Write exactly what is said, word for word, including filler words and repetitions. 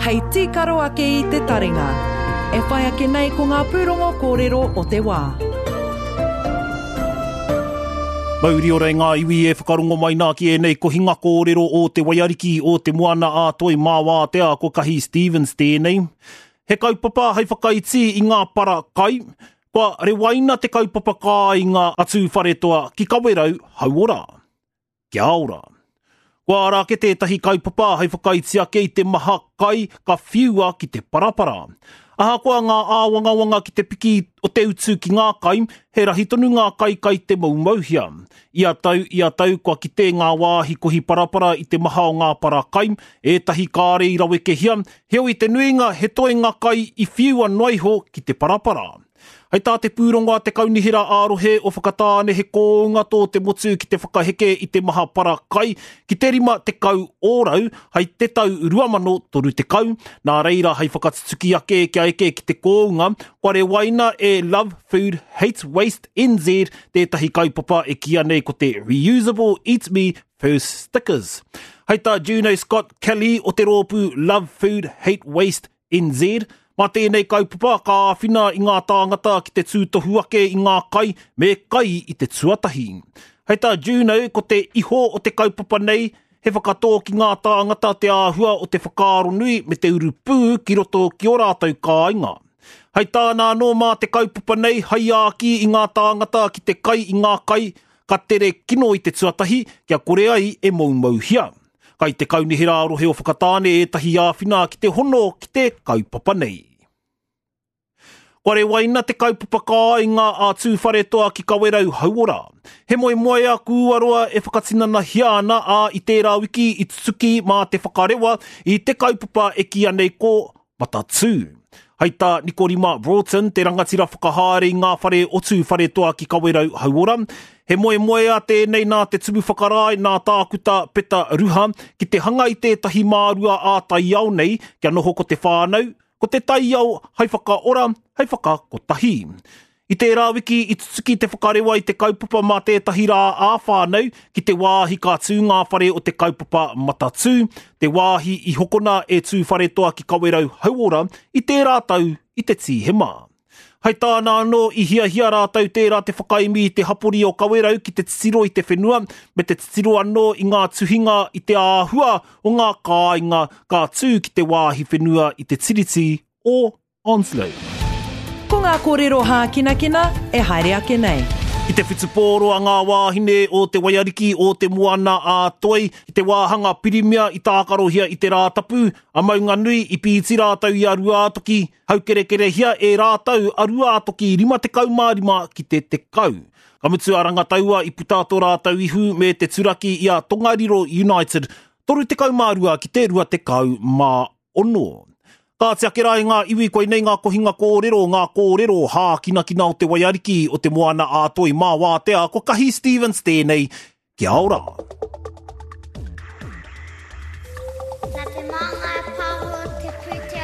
Hei tīkaro ake i te taringa. E whai ake nei ko ngā pūrongo kōrero o te wā. Mauri ora i ngā iwi e whakarongo mai nā ki ēnei kohinga kōrero o te waiariki o te moana a Toi Māwātea ko Kahi Stevens tēnei. He kaupapa hei whakaiti i ngā para kai, kua rewaina te kaupapa kāinga a Tūwharetoa ki Kawerau Hauora. Kia ora. Kua ara ake tētahi kaupapa hei whakaiti ake i te maha kai ka whiua ki te parapara. Ahakoa ngā āwangawanga ki te piki o te utu ki ngā kai, he rahi tonu ngā kai kai te moumouhia. Ia tau, ia tau, kua kite ngā wāhi kohi parapara i te maha o ngā para kai, ētahi kāre i rawekehia, heoi te nuinga he toenga kai i whiua noa iho ki te parapara. Hei tā te pūrongo a te kaunihera ā-rohe o Whakatāne he kōunga tō te motu ki te whakaheke i te maha para kai ki te rima tekau ōrau hei te tau rua mano toru tekau. Nā reira hei whakatutuki ake kia eke ki te kōunga, kua rewaina e Love Food Hate Waste N Z tētahi kaupapa e kīia nei ko te Reusable Eat Me First Stickers. Hei tā Juno Scott Kelly o te rōpū Love Food Hate Waste N Z, mā tēnei kaupapa ka āwhina i ngā tāngata ki te tūtohu ake i ngā kai me kai i te tuatahi. Hei tā Juno, ko te iho o te kaupapa nei, he whakatō ki ngā tāngata te āhua o te whakaaro nui me te urupū ki roto ki ō rātou kāinga. Hei tāna anō mā te kaupapa nei, hei āki i ngā tāngata ki te kai i ngā kai, ka tere kino i te tuatahi, kia kore ai e moumouhia. Kai te kaunihera ā-rohe o Whakatāne ētahi āwhina ki te hono ki te kaupapa nei. Kua rewaina te kaupapa kāinga a Tūwharetoa ki Kawerau Hauora. He moemoea kūaroa e whakatinanahia ana a i tērā wiki i tutuki mā te whakarewa i te kaupapa e kīia nei ko Matatū. Hei tā Nikorima Broughton, te rangatira whakahaere i ngā whare o Tūwharetoa ki Kawerau Hauora, he moemoea tēnei nā te tumu whakarae nā tākuta Peta Ruha ki te hanga i tētahi mārua ā-taiao nei kia noho ko te whānau, ko te taiao hei whakaora, hei whakakotahi. I tērā wiki i tutuki te whakarewa i te kaupapa mā tētahi rā ā-whānau ki te wāhi ka tū ngā whare o te kaupapa Matatū, te wāhi i hokona e Tūwharetoa ki Kawerau Hauora i tērā tau i te Tīhema. Hei tāna anō i hiahia rātou tērā te whakaemi i te hapori o Kawerau ki te titiro i te whenua me te titiro anō i ngā tuhinga i te āhua o ngā kāinga ka tū ki te wāhi whenua i te tiriti o Onslow. Ko ngā kōrero hākinakina e haere ake nei. I te whutupōro a ngā wāhine o te waiariki o te moana a Toi, i te wāhanga pirimia i tākarohia i te Rātapu, a Maunganui i pīti rātou i a Ruātoki, haukerekerehia e rātou a Ruātoki rima tekau mā rima ki te tekau. Ka mutu a Rangataua i puta tō rātou ihu me te turaki i a Tongariro United, toru tekau mā rua ki te rua tekau mā ono. Kāti ake rā i ngā iwi koinei ngā kohinga kōrero, ngā kōrero hākinakina o te waiariki o te moana a Toi mā wātea, ko Kahi Stevens tēnei, kia ora. Nā te māngai pāho te pūtea